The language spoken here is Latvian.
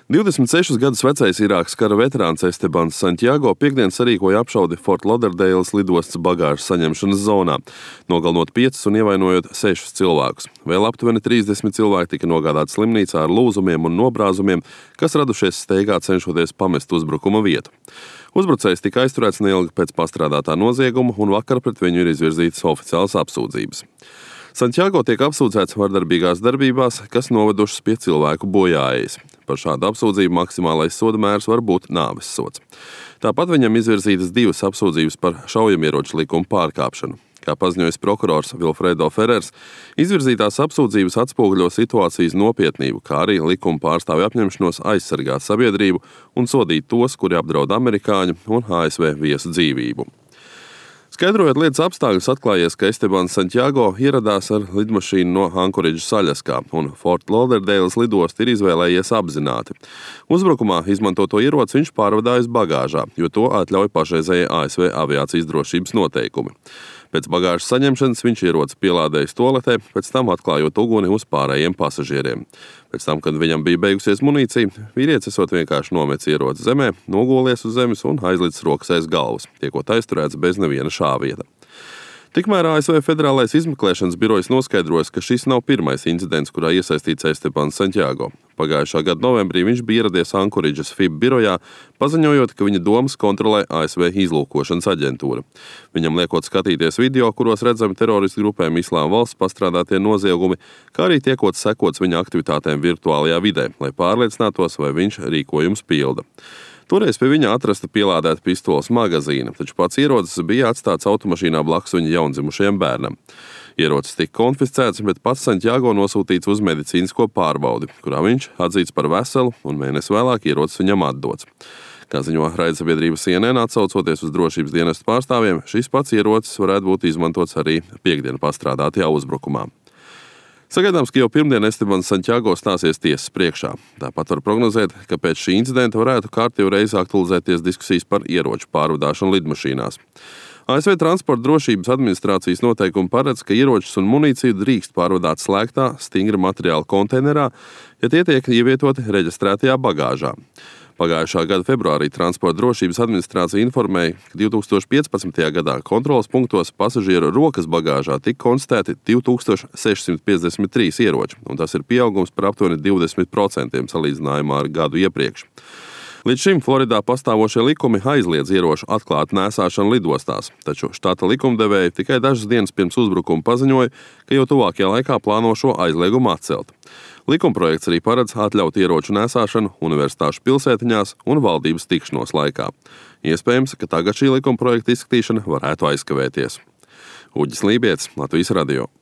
26 gadus vecais Irākas kara veterāns Estebans Santiago piektdien sarīkoja apšaudi Fort Lauderdales lidostas bagāžas saņemšanas zonā, nogalinot 5 un ievainojot 6 cilvēkus. Vēl aptuveni 30 cilvēki tika nogādāti slimnīcā ar lūzumiem un nobrāzumiem, kas radušies steigā cenšoties pamest uzbrukuma vietu. Uzbrucējs tika aizturēts neilgi pēc pastrādātā nozieguma, un vakar pret viņu ir izvirzītas oficiālas apsūdzības. Santiago tiek apsūdzēts vardarbīgās darbībās, kas novedušas pie cilvēku bojāejas. Par šādu apsūdzību maksimālais soda mērs var būt nāves sods. Tāpat viņam izvirzītas 2 apsūdzības par šaujamieroču likuma pārkāpšanu. Kā paziņojis prokurors Vilfredo Ferrers, izvirzītās apsūdzības atspoguļo situācijas nopietnību, kā arī likuma pārstāvju apņemšanos aizsargāt sabiedrību un sodīt tos, kuri apdraud amerikāņu un ASV viesu dzīvību. Skaidrojot lietas apstākļus, atklājies, ka Estebans Santiago ieradās ar lidmašīnu no Ankoridžas Aļaskā, un Fort Lauderdales lidostu ir izvēlējies apzināti. Uzbrukumā izmantoto ieroci viņš pārvadājas bagāžā, jo to atļauj pašreizējie ASV aviācijas drošības noteikumi. Pēc bagāžas saņemšanas viņš ieroci pielādējis toaletē, pēc tam atklājot uguni uz pārējiem pasažieriem. Pēc tam, kad viņam bija beigusies munīcija, vīrietis esot vienkārši nometis ieroci zemē, nogolies uz zemes un aizlicis rokas aiz galvas, tiekot aizturēts bez neviena šāviena. Tikmēr ASV Federālais izmeklēšanas birojs noskaidrojas, ka šis nav pirmais incidents, kurā iesaistīts Estebans Santiago. Pagājušā gada novembrī viņš bija ieradies Ankoridžas FIB birojā, paziņojot, ka viņa domas kontrolē ASV izlūkošanas aģentūra. Viņam liekot skatīties video, kuros redzami teroristu grupēm Islāma valsts pastrādātie noziegumi, kā arī tiekot sekots viņa aktivitātēm virtuālajā vidē, lai pārliecinātos, vai viņš rīkojums pilda. Toreiz pie viņa atrasta pielādēta pistoles magazīna, taču pats ierocis bija atstāts automašīnā blakus viņa jaundzimušajam bērnam. Ierocis tika konfiscēts, bet pats Santiago nosūtīts uz medicīnisko pārbaudi, kurā viņš atzīts par veselu, un mēnesi vēlāk ierocis viņam atdots. Kā ziņo raidsabiedrība CNN, atsaucoties uz drošības dienestu pārstāvjiem, šis pats ierocis varētu būt izmantots arī piektdien pastrādātajā uzbrukumā. Sagaidāms, ka jau pirmdien Estebans Santiago stāsies tiesas priekšā. Tāpat var prognozēt, ka pēc šī incidenta varētu kārtīgi reizi aktualizēties diskusijas par ieroču pārvadāšanu lidmašīnās. ASV Transporta drošības administrācijas noteikumi paredz, ka ieročus un munīciju drīkst pārvadāt slēgtā, stingra materiāla konteinerā, ja tie tiek ievietoti reģistrētajā bagāžā. Pagājušā gada februārī Transporta drošības administrācija informēja, ka 2015. gadā kontroles punktos pasažieru rokas bagāžā tika konstatēti 2653 ieroči, un tas ir pieaugums par aptuveni 20% salīdzinājumā ar gadu iepriekš. Līdz šim Floridā pastāvošie likumi aizliedz ieroču atklātu nēsāšanu lidostās, taču štata likumdevēji tikai dažas dienas pirms uzbrukuma paziņoja, ka jau tuvākajā laikā plāno šo aizliegumu atcelt. Likumprojekts arī paredz atļaut ieroču nēsāšanu universitāšu pilsētiņās un valdības tikšanos laikā. Iespējams, ka tagad šī likumprojekta izskatīšana varētu aizkavēties. Uģis Lībietis, Latvijas radio.